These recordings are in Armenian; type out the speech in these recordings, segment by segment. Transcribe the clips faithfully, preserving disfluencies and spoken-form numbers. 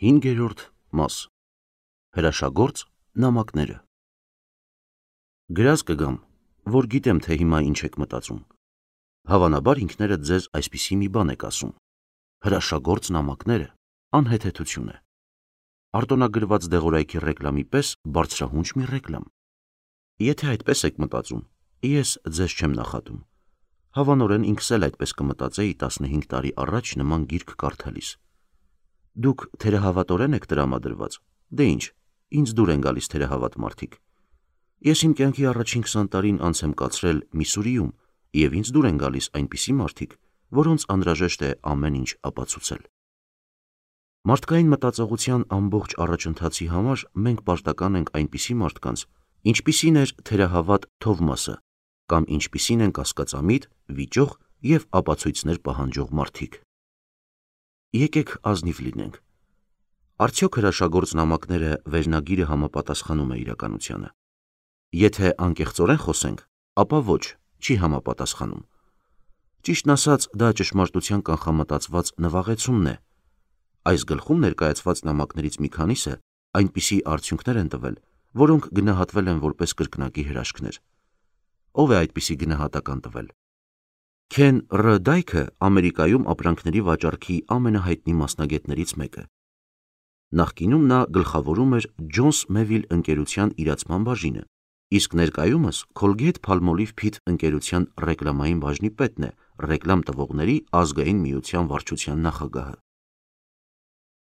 Հինգերորդ մաս Հրաշագործ նամակները Գրած կգամ, որ գիտեմ, թե հիմա ինչ եք մտածում։ Հավանաբար ինքներդ ձեզ այսպիսի մի բան եք ասում. հրաշագործ նամակները անհեթեթություն է։ Արտոնագրված դեղորայքի ռեկլամի պես բարձրահունչ մի ռեկլամ։ Եթե այդպես եք մտածում, ես ձեզ չեմ նախատում։ Հավանորեն ինքս էլ այդպես կմտածեի տասնհինգ տարի առաջ նման գիրք կարդալիս։ Դուք թերահավատորեն եք տրամադրված, դե ինչ, ինձ դուր են գալիս թերահավատ մարդիկ։ Ես իմ կյանքի առաջին քսան տարին անց եմ կացրել Միսուրիում, և ինձ դուր են գալիս այնպիսի մարդիկ, որոնց անհրաժեշտ է ամեն ինչ ապացուցել։ Մարդկային մտածողության ամբողջ առաջընթացի համար մենք պարտական ենք այնպիսի մարդկանց, ինչպիսին էր թերահավատ Թովմասը, կամ ինչպիսին են կասկածամիտ, վիճող և ապացույցներ պահանջող մարդիկ։ Եկեք ազնիվ լինենք։ Արդյոք հրաշագործ նամակները վերնագիրը համապատասխանում է իրականությանը։ Եթե անկեղծորեն խոսենք, ապա ոչ, չի համապատասխանում։ Ճիշտն ասած, դա ճշմարտության կանխամտածված նվաղեցումն է։ Այս գլխում ներկայացված նամակներից մի քանիսը այնպիսի արդյունքներ են տվել, որոնք գնահատվել են որպես կրկնակի հրաշքներ։ Ո՞վ է այդպիսի գնահատական տվել։ Քեն Ռ. Դայքը Ամերիկայում ապրանքների վաճառքի ամենահայտնի մասնագետներից մեկը։ Նախկինում նա գլխավորում էր Ջոնս Մեվիլ ընկերության իրացման բաժինը, իսկ ներկայումս Colgate-Palmolive Pit ընկերության ռեկլամային բաժնի պետն է, ռեկլամ տվողների ազգային միության վարչության նախագահը։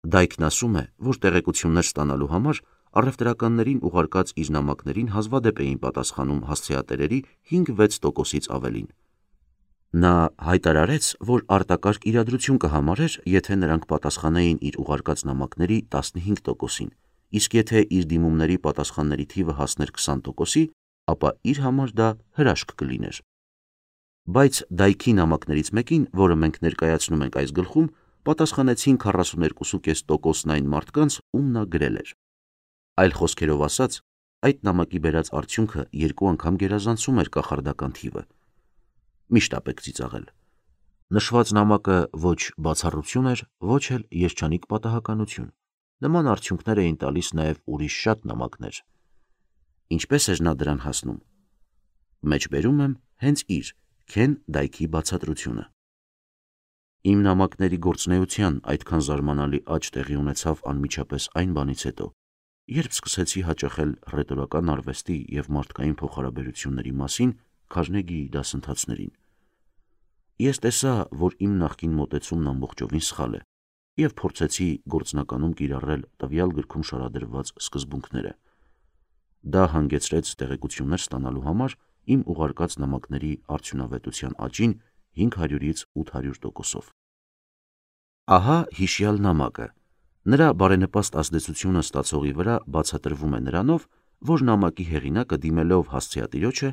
Դայքն ասում է, որ տեղեկություններ ստանալու համար առևտրականներին ուղարկած իր նամակներին հազվադեպ էին պատասխանում հասցեատերերի հինգ-վեց տոկոսից ավելին։ Նա հայտարարեց, որ արտակարգ իրադրություն կհամարեր, եթե նրանք պատասխանեին իր ուղարկած նամակների տասնհինգ տոկոսին, իսկ եթե իր դիմումների պատասխանների թիվը հասներ քսան տոկոսի, ապա իր համար դա հրաշք կլիներ։ Բայց Դայքի նամակներից մեկին, որը մենք ներկայացնում ենք այս գլխում, պատասխանեցին քառասուներկու կես տոկոսն այն մարդկանց, ում նա գրել էր։ Այլ խոսքերով ասած, այդ նամակի բերած արդյունքը երկու անգամ գերազանցում էր կախարդական թիվը։ Մի շտապեք ծիծաղել։ Նշված նամակը ոչ բացառություն էր, ոչ էլ երջանիկ պատահականություն։ Նման արդյունքներ էին տալիս նաև ուրիշ շատ նամակներ։ Ինչպես էր նա դրան հասնում։ Մեջբերում եմ հենց իր Քեն Դայքի բացատրությունը։ Իմ նամակների գործունեության այդքան զարմանալի աճ տեղի ունեցավ անմիջապես այն բանից հետո, երբ սկսեցի հաճախել ռետորական արվեստի և մարդկային փոխհարաբերությունների մասին Քարնեգիի դասընթացներին։ Ես տեսա, որ իմ նախկին մոտեցումն ամբողջովին սխալ է, և փորձեցի գործնականում կիրառել տվյալ գրքում շարադրված սկզբունքները։ Դա հանգեցրեց տեղեկություններ ստանալու համար իմ ուղարկած նամակների արդյունավետության աճին հինգ հարյուրից ութ հարյուր տոկոսով։ Ահա հիշյալ նամակը։ Նրա բարենպաստ ազդեցությունը ստացողի վրա բացատրվում է նրանով, որ նամակի հեղինակը դիմելով հասցեատիրոջը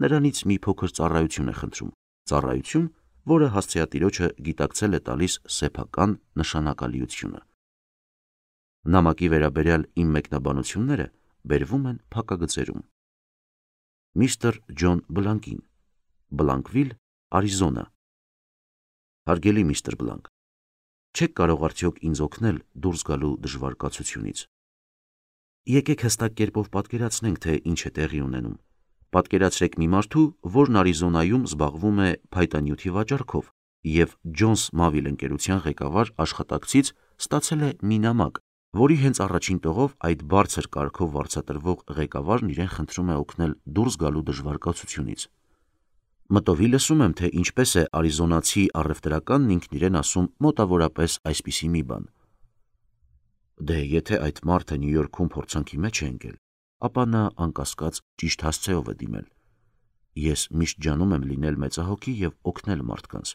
նրանից մի փոքր ծառայություն է խնդրում, ծառայություն, որը հասցեատիրոջը գիտակցել է տալիս սեփական նշանակալիությունը։ Նամակի վերաբերյալ իմ մեկնաբանությունները բերվում են փակագծերում։ Միսթր Ջոն Բլանկին, Բլանկվիլ, Արիզոնա։ Հարգելի միստր Բլանկ, չեք կարող արդյոք ինձ օգնել դուրս գալու դժվար կացությունից։ Եկեք հստակ կերպով պատկերացնենք, թե ինչ է տեղի ունենում։ Պատկերացրեք մի մարդու, որն Արիզոնայում զբաղվում է փայտանյութի վաճառքով և Ջոնս Մավիլ ընկերության ղեկավար աշխատակցից ստացել է մի նամակ, որի հենց առաջին տողով այդ բարձր կարգով վարձատրվող ղեկավարն իրեն խնդրում է օգնել դուրս գալու դժվար կացությունից։ Մտովի լսում եմ, թե ինչպես է արիզոնացի առևտրականն ինքն իրեն ասում մոտավորապես այսպիսի մի բան. Դե եթե այդ մարդը Նյու Յորքում փորձանքի մեջ է ընկել, ապա նա անկասկած ճիշտ հասցեով է դիմել։ Ես միշտ ջանում եմ լինել մեծահոգի և օգնել մարդկանց։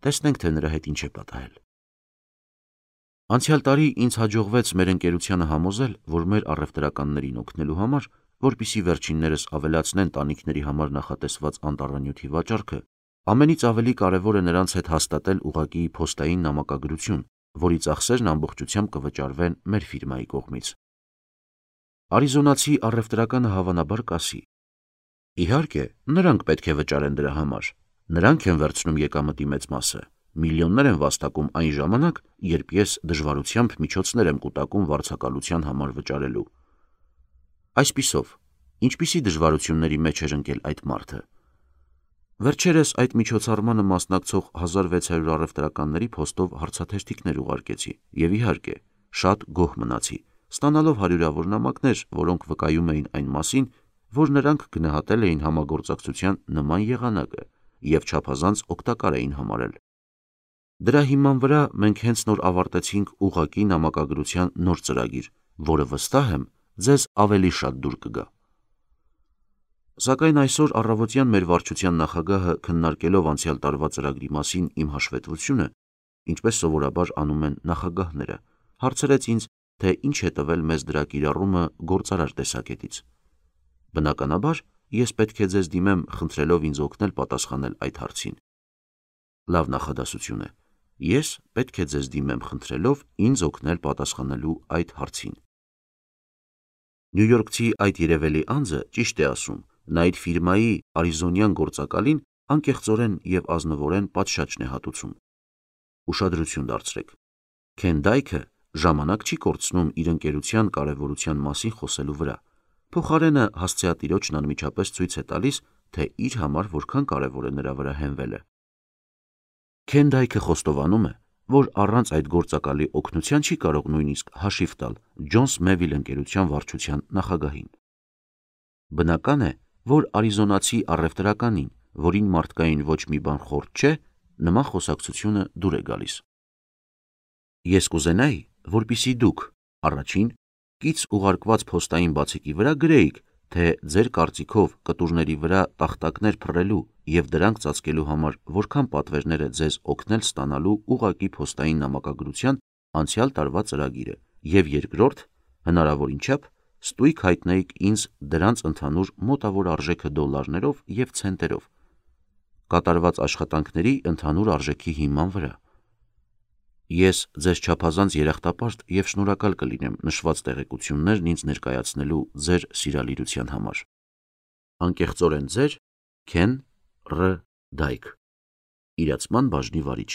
Տեսնենք, թե նրա հետ ինչ է պատահել։ Անցյալ տարի ինձ հաջողվեց մեր ընկերությանը համոզել, որ մեր առևտրականներին օգնելու համար, որպեսզի վերջիններս ավելացնեն տանիքների համար նախատեսված անտառանյութի վաճառքը, ամենից ավելի կարևոր է նրանց հետ հաստատել ուղղակի փոստային նամակագրություն, որի ծախսերն ամբողջությամբ կվճարվեն մեր ֆիրմայի կողմից։ Արիզոնացի առևտրականը հավանաբար կասի. Իհարկե, նրանք պետք է վճարեն դրա համար, նրանք են վերցնում եկամտի մեծ մասը, միլիոններ են վաստակում այն ժամանակ, երբ ես դժվարությամբ միջոցներ եմ կուտակում վարձակալության համար վճարելու։ Այսպիսով, ինչպիսի դժվարությունների մեջ էր ընկել այդ մարդը։ Վերջերս այդ միջոցառմանը մասնակցող հազար վեց հարյուր առևտրականների փոստով հարցաթերթիկներ ուղարկեցի և իհարկե, շատ գոհ մնացի, ստանալով հարյուրավոր նամակներ, որոնք վկայում էին այն մասին, որ նրանք գնահատել էին համագործակցության նման եղանակը և չափազանց օգտակար էին համարել։ Դրա հիման վրա մենք հենց նոր ավարտեցինք ուղղակի նամակագրության նոր ծրագիր, որը վստահ եմ ձեզ ավելի շատ դուր կգա։ Սակայն այսօր առավոտյան մեր վարչության նախագահը քննարկելով անցյալ տարվա ծրագրի մասին իմ հաշվետվությունը, ինչպես սովորաբար անում են նախագահները, հարցրեց ինձ, թե ինչ է տվել մեզ դրա կիրառումը գործարար տեսակետից։ Բնականաբար, ես պետք է ձեզ դիմեմ խնդրելով ինձ օգնել պատասխանել այդ հարցին։ Լավ նախադասություն է։ Ես պետք է ձեզ դիմեմ խնդրելով ինձ օգնել պատասխանելու այդ հարցին։ Նյու Յորքցի այդ երևելի անձը ճիշտ է ասում, նա իր ֆիրմայի արիզոնյան գործակալին անկեղծորեն և ազնվորեն պատշաճն է հատուցում։ Ուշադրություն դարձրեք։ Քեն Դայքը ժամանակ չի կորցնում իր ընկերության կարևորության մասին խոսելու վրա, փոխարենը հասցեատիրոջն անմիջապես ցույց է տալիս, թե իր համար որքան կարևոր է նրա վրա հենվելը։ Քեն Դայքը խոստովանում է, որ առանց այդ գործակալի օգնության չի կարող նույնիսկ հաշիվ տալ Ջոնս Մեվիլ ընկերության վարչության նախագահին։ Բնական է, որ արիզոնացի առևտրականին, որին մարդկային ոչ մի բան խորտ չէ, նման խոսակցությունը դուր է գալիս։ Ես կուզենայի, որպեսզի դուք առաջին կից ուղարկված փոստային բացիկի վրա գրեիք, թե ձեր կարծիքով կտուրների վրա տախտակներ փռելու և դրանք ծածկելու համար որքան պատվերներ է ձեզ օգնել ստանալու ուղղակի փոստային նամակագրության անցյալ տարվա ծրագիրը, և երկրորդ, հնարավորին չափ ստույգ հայտնեիք ինձ դրանց ընդհանուր մոտավոր արժեքը դոլարներով և ցենտերով, կատարված աշխատանքների ընդհանուր արժեքի հիման վրա։ Ես ձեզ չափազանց երախտապարտ և շնորհակալ կլինեմ նշված տեղեկություններն ինձ ներկայացնելու ձեր սիրալիրության համար։ Անկեղծորեն ձեր Քեն Ռ. Դայք, իրացման բաժնի վարիչ։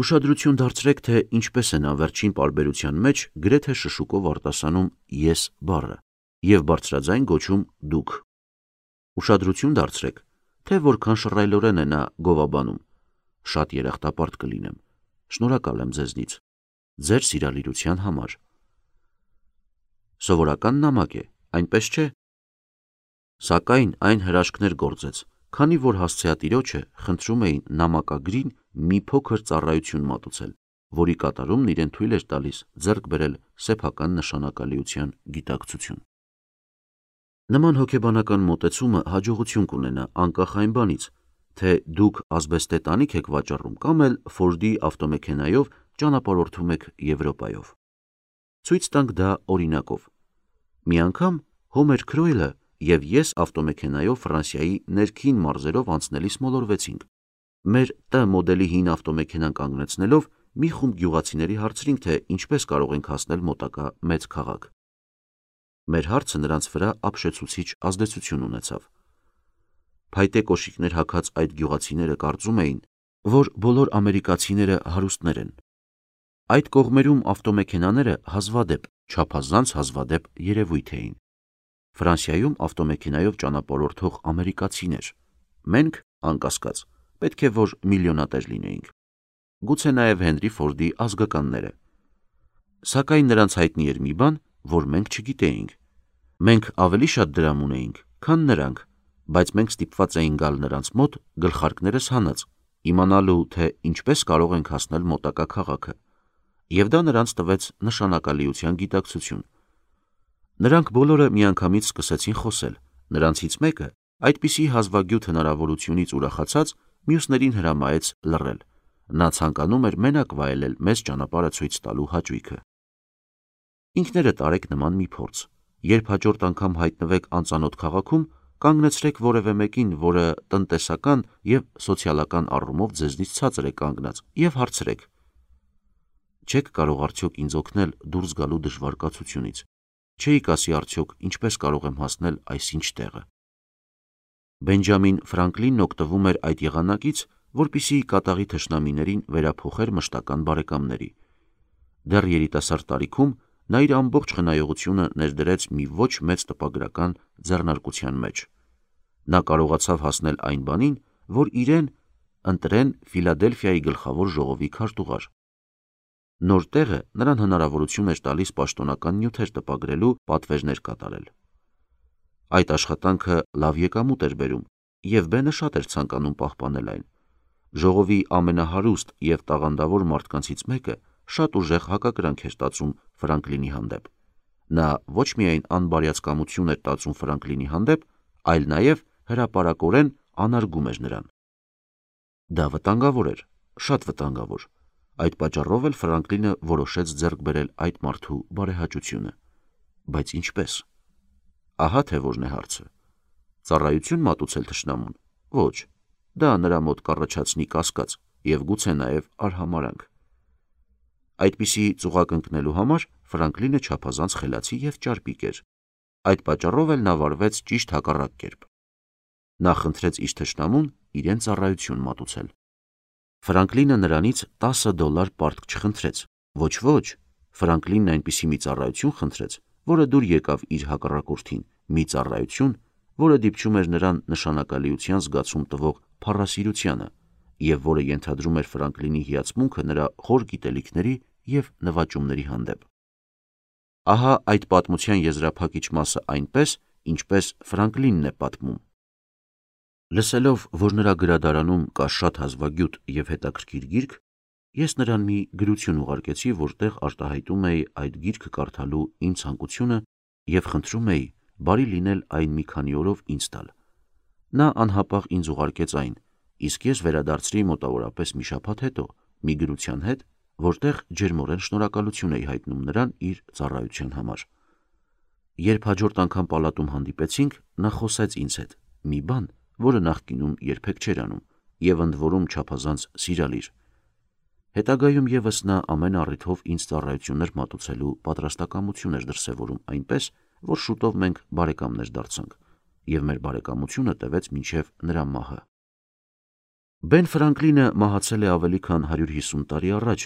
Ուշադրություն դարձրեք, թե ինչպես են անվերջին պարբերության մեջ գրեթե շշուկով արտասանում ես բառը և բարձրաձայն գոչում դուք։ Ուշադրություն դարձրեք, թե որքան շռայլորեն է նա գովաբանում։ Շատ երախտապարտ կլինեմ։ Շնորհակալ եմ ձեզնից։ Ձեր սիրալիրության համար։ Սովորական նամակ է, այնպես չէ։ Սակայն այն հրաշքներ գործեց, քանի որ հասցեատիրոջը խնդրում էին նամակագրին մի փոքր ծառայություն մատուցել, որի կատարումն իրեն թույլ էր տալիս ձեռք բերել սեփական նշանակալիության գիտակցություն։ Նման հոգեբանական մոտեցումը հաջողություն կունենա անկախ այն բանից, թե դուք ազբեստե տանիք եք վաճառում կամ էլ Ֆորդի ավտոմեքենայով ճանապարհորդում եք Եվրոպայով։ Ցույց տանք դա օրինակով։ Մի անգամ Հոմեր Քրոյլը և ես ավտոմեքենայով Ֆրանսիայի ներքին մարզերով անցնելիս մոլորվեցինք։ Մեր Տ մոդելի հին ավտոմեքենան կանգնեցնելով մի խումբ գյուղացիների հարցրինք, թե ինչպես կարող ենք հասնել մոտակա մեծ քաղաք։ Մեր հարցը նրանց վրա ապշեցուցիչ ազդեցություն ունեցավ։ Փայտե կոշիկներ հագած այդ գյուղացիները կարծում էին, որ բոլոր ամերիկացիները հարուստներ են։ Այդ կողմերում ավտոմեքենաները հազվադեպ, չափազանց հազվադեպ երևույթ էին։ Ֆրանսիայում ավտոմեքենայով ճանապարհորդող ամերիկացիներ։ Մենք, անկասկած, պետք է որ միլիոնատեր լինեինք։ Գուցե նաև Հենրի Ֆորդի ազգականները։ Սակայն նրանց հայտնի էր մի բան, որ մենք չգիտեինք։ Մենք ավելի շատ դրամ ունեինք, քան նրանք, բայց մենք ստիպված էինք գալ նրանց մոտ գլխարկներս հանած, իմանալու, թե ինչպես կարող ենք հասնել մոտակա քաղաքը, և դա նրանց տվեց նշանակալիության գիտակցություն։ Նրանք բոլորը միանգամից սկսեցին խոսել, նրանցից մեկը այդպիսի հազվագյուտ հնարավորությունից ուրախացած մյուսներին հրամայեց լռել։ Նա ցանկանում էր մենակ վայելել մեզ ճանապարհը ցույց տալու հաճույքը։ Ինքներդ արեք նման մի փորձ։ Երբ հաջորդ անգամ հայտնվեք անծանոթ քաղաքում, կանգնեցրեք որևէ մեկին, որը տնտեսական և սոցիալական առումով ձեզնից ցածր է կանգնած, և հարցրեք. չեք կարող արդյոք ինձ օգնել դուրս գալու դժվար կացությունից։ Չէիք ասի արդյոք ինչպես կարող եմ հասնել այսինչ տեղը։ Բենջամին Ֆրանկլինն օգտվում էր այդ եղանակից, որպիսի կատաղի թշնամիներին վերափոխեր մշտական բարեկամների։ Դեռ երիտասարդ տարիքում նա իր ամբողջ խնայողությունը ներդրեց մի ոչ մեծ տպագրական ձեռնարկության մեջ։ Նա կարողացավ հասնել այն բանին, որ իրեն ընտրեն Ֆիլադելֆիայի գլխավոր ժողովի քարտուղար։ Նոր տեղը նրան հնարավորություն էր տալիս պաշտոնական նյութեր տպագրելու, պատվերներ կատարել։ Այդ աշխատանքը լավ եկամուտ էր բերում, և Բենը շատ էր ցանկանում պահպանել այն։ Ժողովի ամենահարուստ և տաղանդավոր մարդկանցից մեկը շատ ուժեղ հակակրանք էր տածում Ֆրանկլինի հանդեպ։ Նա ոչ միայն անբարյացկամություն էր տածում Ֆրանկլինի հանդեպ, այլ նաև հրապարակորեն անարգում էր նրան։ Դա վտանգավոր էր, շատ վտանգավոր։ Այդ պատճառով էլ Ֆրանկլինը որոշեց ձեռք բերել այդ մարդու բարեհաճությունը։ Բայց ինչպե՞ս։ Ահա թե որն է հարցը։ Ծառայություն մատուցել թշնամուն։ Ոչ, դա նրա մոտ կառաջացնի կասկած և գուցե նաև արհամարհանք։ Այդպիսի ծուղակ ընկնելու համար Ֆրանկլինը չափազանց խելացի և ճարպիկ էր։ Այդ պատճառով էլ նա վարվեց ճիշտ հակառակ կերպ։ Նա խնդրեց իր թշնամուն իրեն ծառայություն մատուցել։ Ֆրանկլինը նրանից տասը դոլար պարտք չխնդրեց։ Ոչ, ոչ, Ֆրանկլինն այնպիսի մի ծառայություն խնդրեց, որը դուր եկավ իր հակառակորդին, մի ծառայություն, որը դիպչում էր նրան նշանակալիության զգացում տվող փառասիրությանը, և որը ենթադրում էր Ֆրանկլինի հիացմունքը նրա խոր գիտելիքների և նվաճումների հանդեպ։ Ահա այդ պատմության եզրափակիչ մասը այնպես, ինչպես Ֆրանկլինն է պատմում։ Լսելով, որ նրա գրադարանում կա շատ հազվագյուտ և հետաքրքիր գիրք, ես նրան մի գրություն ուղարկեցի, որտեղ արտահայտում էի այդ գիրքը կարդալու իմ ցանկությունը և խնդրում էի բարի լինել այն մի քանի օրով ինձ տալ։ Նա անհապաղ ինձ ուղարկեց այն, իսկ ես վերադարձրի մոտավորապես մի շաբաթ հետո մի գրության հետ, որտեղ ջերմորեն շնորհակալություն էի հայտնում նրան իր ծառայության համար։ Երբ հաջորդ անգամ պալատում հանդիպեցինք, նա խոսեց ինձ հետ մի բան, որը նախկինում երբեք չէր անում, և ընդ որում չափազանց սիրալիր։ Հետագայում ևս նա ամեն առիթով ինձ ծառայություններ մատուցելու պատրաստակամություն էր դրսևորում, այնպես, որ շուտով մենք բարեկամներ դարձանք, և մեր բարեկամությունը տևեց մինչև նրա մահը։ Բեն Ֆրանկլինը մահացել է ավելի քան հարյուր հիսուն տարի առաջ,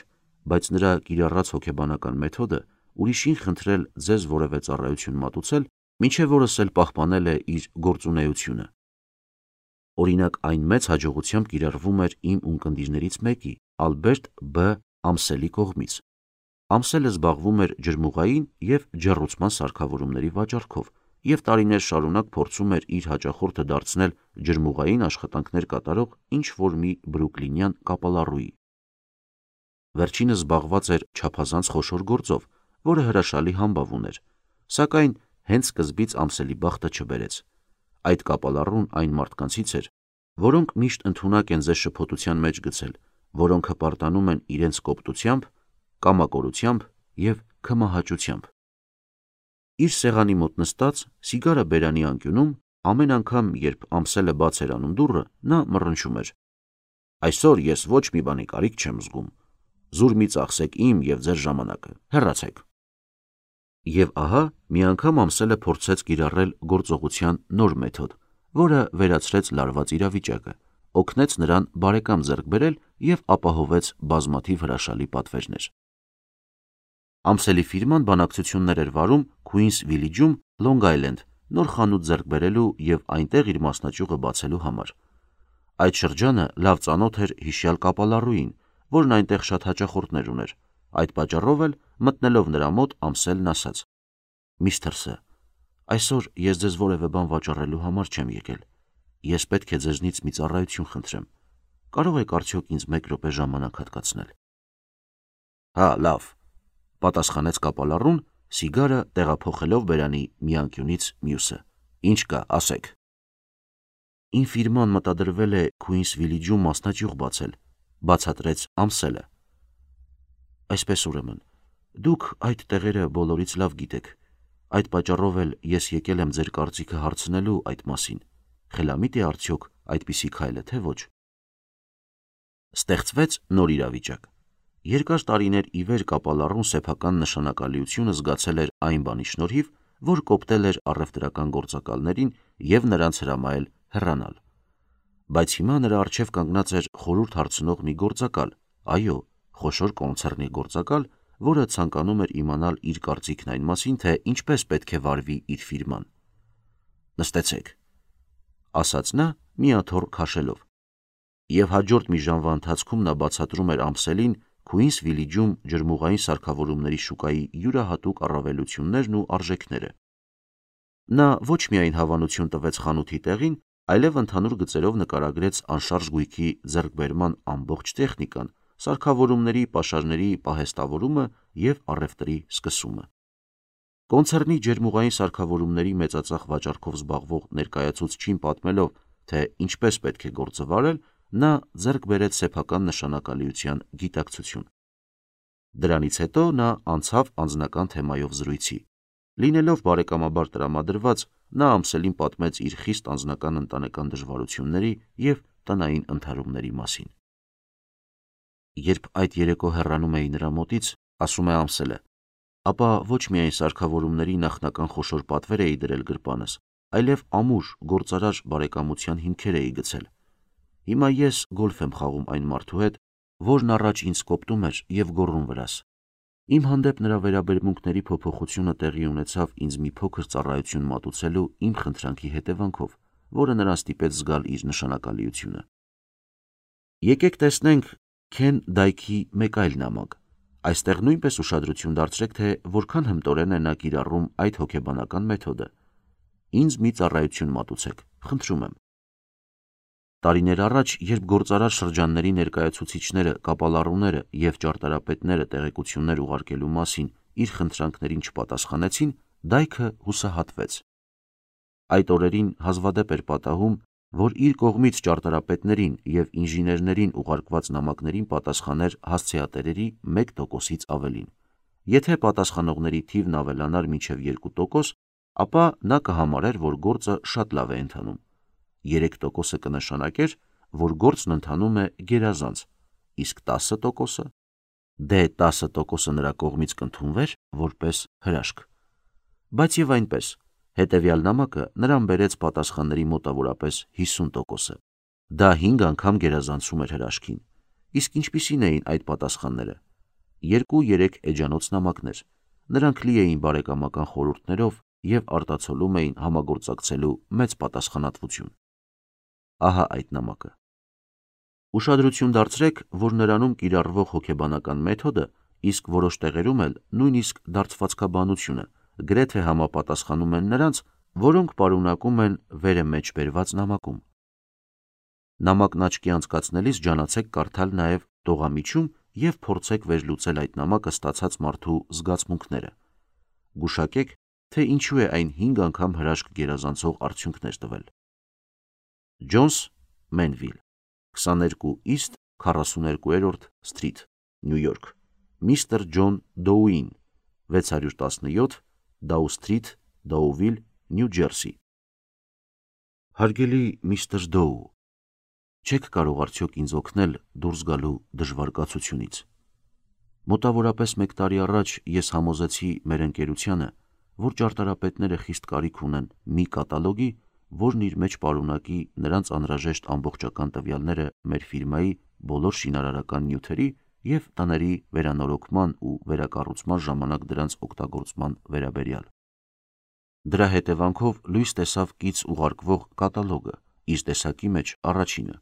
բայց նրա կիրառած հոգեբանական մեթոդը ուրիշին խնդրել ձեզ որևէ ծառայություն մատուցել, մինչև օրս էլ պահպանել է իր գործունեությունը։ Օրինակ, այն մեծ հաջողությամբ կիրառվում էր իմ ունկնդիրներից մեկի՝ Ալբերտ Բ. Ամսելի կողմից։ Ամսելը զբաղվում էր ջրմուղային և ջեռուցման սարքավորումների վաճառքով և տարիներ շարունակ փորձում էր իր հաճախորդը դարձնել ջրմուղային աշխատանքներ կատարող ինչ-որ մի բրուկլինյան կապալառուի։ Վերջինս զբաղված էր չափազանց խոշոր գործով, որը հրաշալի համբավ ուներ, սակայն հենց սկզբից Ամսելի բախտը չբերեց։ Այդ կապալառուն այն մարդկանցից էր, որոնք միշտ ընդունակ են ձեզ շփոթության մեջ գցել, որոնք հպարտանում են իրենց կոպտությամբ, կամակորությամբ և քմահաճությամբ։ Իր սեղանի մոտ նստած, սիգարը բերանի անկյունում, ամեն անգամ, երբ Ամսելը բաց էր անում դուռը, նա մռնչում էր. «Այսօր ես ոչ մի բանի կարիք չեմ զգում։ Զուր մի ծախսեք իմ և ձեր ժամանակը, հեռացեք»։ Եվ ահա մի անգամ Ամսելը փորձեց կիրառել գործողության նոր մեթոդ, որը վերացրեց լարված իրավիճակը, օգնեց նրան բարեկամ ձեռք բերել և ապահովեց բազմաթիվ հրաշալի պատվերներ։ Ամսելի ֆիրման բանակցություններ էր վարում Քուինս Վիլիջում, Լոնգ Այլենդ, նոր խանութ ձեռք բերելու և այնտեղ իր մասնաճյուղը բացելու համար։ Այդ շրջանը լավ ծանոթ էր հիշյալ կապալառուին, որն այնտեղ շատ հաճախորդներ ուներ։ Այդ պատճառով էլ, մտնելով նրա մոտ, Ամսելն ասաց. «Միստր Ս, այսօր ես ձեզ որևէ բան վաճառելու համար չեմ եկել։ Ես պետք է ձեզնից մի ծառայություն խնդրեմ։ Կարող եք արդյոք ինձ մեկ րոպե ժամանակ հատկացնել»։ «Հա, լավ», պատասխանեց կապալառուն, սիգարը տեղափոխելով բերանի մի անկյունից մյուսը։ «Ինչ կա, ասեք»։ «Իմ ֆիրման մտադրվել է Քուինս Վիլիջում մասնաճյուղ բացել», բացատրեց Ամսելը։ «Այսպես ուրեմն, դուք այդ տեղերը բոլորից լավ գիտեք, այդ պատճառով էլ ես եկել եմ ձեր կարծիքը հարցնելու այդ մասին, խելամիտ է արդյոք այդպիսի քայլը, թե ոչ»։ Ստեղծվեց նոր իրավիճակ։ Երկար տարիներ ի վեր կապալառուն սեփական նշանակալիությունը զգացել էր այն բանի շնորհիվ, որ կոպտել էր առևտրական գործակալներին և նրանց հրամայել հեռանալ։ Բայց հիմա նրա առջև կանգնած էր խորհուրդ հարցնող մի գործակալ, այո, խոշոր կոնցեռնի գործակալ, որը ցանկանում էր իմանալ իր կարծիքն այն մասին, թե ինչպես պետք է վարվի իր ֆիրման։ «Նստեցեք», ասաց նա միաթոռ քաշելով, եւ հաջորդ մի ժամվա ընթացքում նա բացատրում էր ամսելին Քուինս Վիլիջում ջրմուղային սարքավորումների շուկայի յուրահատուկ առավելություններն ու արժեքները։ Նա ոչ միայն հավանություն տվեց խանութի տեղին, այլև ընդհանուր գծերով նկարագրեց անշարժ գույքի ձեռքբերման ամբողջ տեխնիկան, սարքավորումների պաշարների պահեստավորումը և առևտրի սկսումը։ Կոնցեռնի ջերմուղային սարքավորումների մեծածախ վաճառքով զբաղվող ներկայացուցչին պատմելով, թե ինչպես պետք է գործը վարել, նա ձեռք բերեց սեփական նշանակալիության գիտակցություն։ Դրանից հետո նա անցավ անձնական թեմայով զրույցի։ Լինելով բարեկամաբար տրամադրված, նա ամսելին պատմեց իր խիստ անձնական ընտանեկան դժվարությունների և տնային ընդհարումների մասին։ Երբ այդ երեկո հեռանում էի նրա մոտից, ասում է Ամսելը, ապա ոչ միայն սարքավորումների նախնական խոշոր պատվեր էի դրել գրպանս, այլև ամուր գործարար բարեկամության հիմքեր էի գցել։ Հիմա ես գոլֆ եմ խաղում այն մարդու հետ, որն առաջ ինձ կոպտում էր և գոռում վրաս։ Իմ հանդեպ նրա վերաբերմունքների փոփոխությունը տեղի ունեցավ ինձ մի փոքր ծառայություն մատուցելու իմ խնդրանքի հետևանքով, որը նրան ստիպեց զգալ իր նշանակալիությունը։ Եկեք տեսնենք Քեն Դայքի մեկ այլ նամակ։ Այստեղ նույնպես ուշադրություն դարձրեք, թե որքան հմտորեն է նա կիրառում այդ հոգեբանական մեթոդը։ Ինձ մի ծառայություն մատուցեք, խնդրում եմ։ Տարիներ առաջ, երբ գործարար շրջանների ներկայացուցիչները, կապալառուները և ճարտարապետները տեղեկություններ ուղարկելու մասին իր խնդրանքներին չպատասխանեցին, Դայքը հուսահատվեց։ Այդ օրերին հազվադեպ էր պատահում, որ իր կողմից ճարտարապետներին և ինժեներներին ուղարկված նամակներին պատասխաներ հասցեատերերի մեկ տոկոսից ավելին։ Եթե պատասխանողների թիվն ավելանար մինչև երկու տոկոս, ապա նա կհամարեր, որ գործը շատ լավ է ընթանում։ Երեք տոկոսը կնշանակեր, որ գործն ընթանում է գերազանց, իսկ տասը տոկոսը, դե տասը տոկոսը նրա կողմից կընդունվեր որպես հրաշք։ Բայց եւ այնպես, հետևյալ նամակը նրան բերեց պատասխանների մոտավորապես հիսուն տոկոսը։ Դա հինգ անգամ գերազանցում էր հրաշքին։ Իսկ ինչպիսին էին այդ պատասխանները։ Երկու-երեք էջանոց նամակներ։ Նրանք լի էին բարեկամական խորհուրդներով և արտացոլում էին համագործակցելու մեծ պատասխանատվություն։ Ահա այդ նամակը։ Ուշադրություն դարձրեք, որ նրանում կիրառվող հոգեբանական մեթոդը, իսկ որոշ տեղերում էլ նույնիսկ դարձվածքաբանությունը գրեթե համապատասխանում են նրանց, որոնք պարունակում են վերը մեջ բերված նամակում։ Նամակն աչքի անցկացնելիս ջանացեք կարդալ նաև տողամիջում և փորձեք վերլուծել այդ նամակը ստացած մարդու զգացմունքները։ Գուշակեք, թե ինչու է այն հինգ անգամ հրաշք գերազանցող արդյունքներ տվել։ Ջոնս, Մենվիլ, քսաներկու Իստ քառասուներկուերորդ սթրիթ, Նյու Յորք, Միսթր Ջոն Դոուին, վեց հարյուր տասնյոթ Դաու Սթրիթ, Դոուվիլ, Նյու Ջերսի։ Հարգելի միստր Դոու, չեք կարող արդյոք ինձ օգնել դուրս գալու դժվար կացությունից։ Մոտավորապես մեկ տարի առաջ ես համոզեցի մեր ընկերությանը, որ ճարտարապետները խիստ կարիք ունեն մի կատալոգի, որն իր մեջ պարունակի նրանց անհրաժեշտ ամբողջական տվյալները մեր ֆիրմայի բոլոր շինարարական նյութերի և տների վերանորոգման ու վերակառուցման ժամանակ դրանց օգտագործման վերաբերյալ։ Դրա հետևանքով լույս տեսավ կից ուղարկվող կատալոգը, իր տեսակի մեջ առաջինը։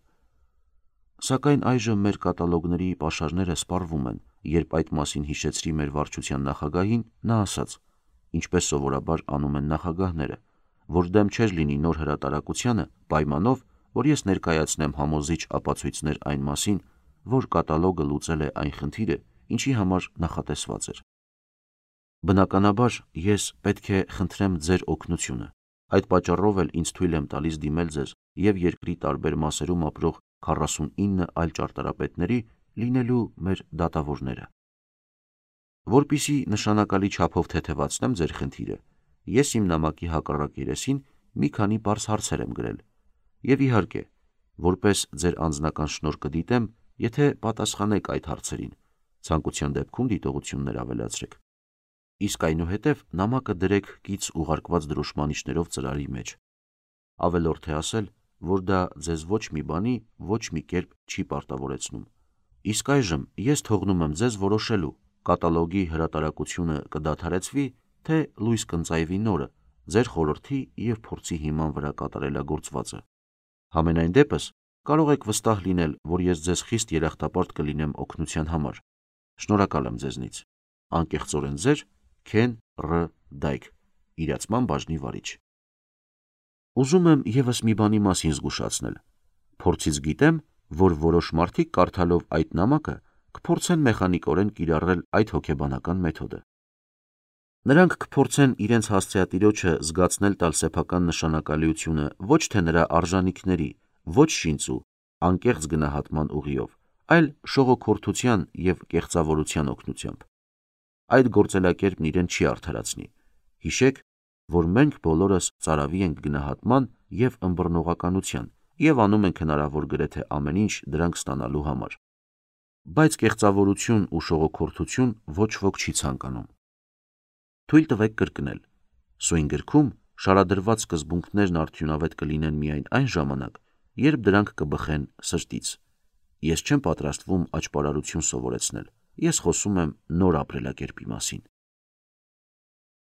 Սակայն այժմ մեր կատալոգների պաշարները սպառվում են, երբ այդ մասին հիշեցրի մեր վարչության նախագահին, նա ասաց, ինչպես սովորաբար անում են նախագահները, որ դեմ չէր լինի նոր հրատարակությանը, պայմանով, որ ես ներկայացնեմ համոզիչ ապացույցներ այն մասին, որ կատալոգը լուծել է այն խնդիրը, ինչի համար նախատեսված էր։ Բնականաբար, ես պետք է խնդրեմ ձեր օգնությունը։ Այդ պատճառով էլ ինձ թույլ եմ տալիս դիմել ձեզ և երկրի տարբեր մասերում ապրող քառասունինը այլ ճարտարապետների լինելու մեր դատավորները։ Որպեսզի նշանակալի չափով թեթևացնեմ ձեր խնդիրը, ես իմ նամակի հակառակ երեսին մի քանի պարզ հարցեր եմ գրել, և իհարկե, որպես ձեր անձնական շնորհ կդիտեմ, եթե պատասխանեք այդ հարցերին, ցանկության դեպքում դիտողություններ ավելացրեք։ Իսկ այնուհետև նամակը դրեք կից ուղարկված դրոշմանիչներով ծրարի մեջ։ Ավելորդ է ասել, որ դա ձեզ ոչ մի բանի, ոչ մի կերպ չի պարտավորեցնում։ Իսկ այժմ ես թողնում եմ ձեզ որոշելու, կատալոգի հրատարակությունը կդադարեցվի, թե լույս կընծայվի նորը, ձեր խորհրդի և փորձի հիման վրա կատարելագործվածը։ Համենայն դեպս, կարող եք վստահ լինել, որ ես ձեզ խիստ երախտապարտ կլինեմ օգնության համար։ Շնորհակալ եմ ձեզնից։ Անկեղծորեն ձեր Քեն Ռ. Դայք, իրացման բաժնի վարիչ։ Ուզում եմ ևս մի բանի մասին զգուշացնել։ Փորձից գիտեմ, որ որոշ մարդիկ կարդալով այդ նամակը կփորձեն մեխանիկորեն կիրառել այդ հոգեբանական մեթոդը։ Նրանք կփորձեն իրենց հասցեատիրոջը զգացնել տալ սեփական նշանակալիությունը ոչ թե նրա արժանիքների, ոչ շինծու, անկեղծ գնահատման ուղիով, այլ շողոքորթության և կեղծավորության օգնությամբ։ Այդ գործելակերպն իրեն չի արդարացնի։ Հիշեք, որ մենք բոլորս ծարավի ենք գնահատման և ըմբռնողականության և անում ենք հնարավոր գրեթե ամեն ինչ դրանք ստանալու համար։ Բայց կեղծավորություն ու շողոքորթություն ոչ ոք չի ցանկանում։ Թույլ տվեք կրկնել. սույն գրքում շարադրված սկզբունքներն արդյունավետ կլինեն միայն այն ժամանակ, երբ դրանք կբխեն սրտից։ Ես չեմ պատրաստվում աճպարարություն սովորեցնել, ես խոսում եմ նոր ապրելակերպի մասին։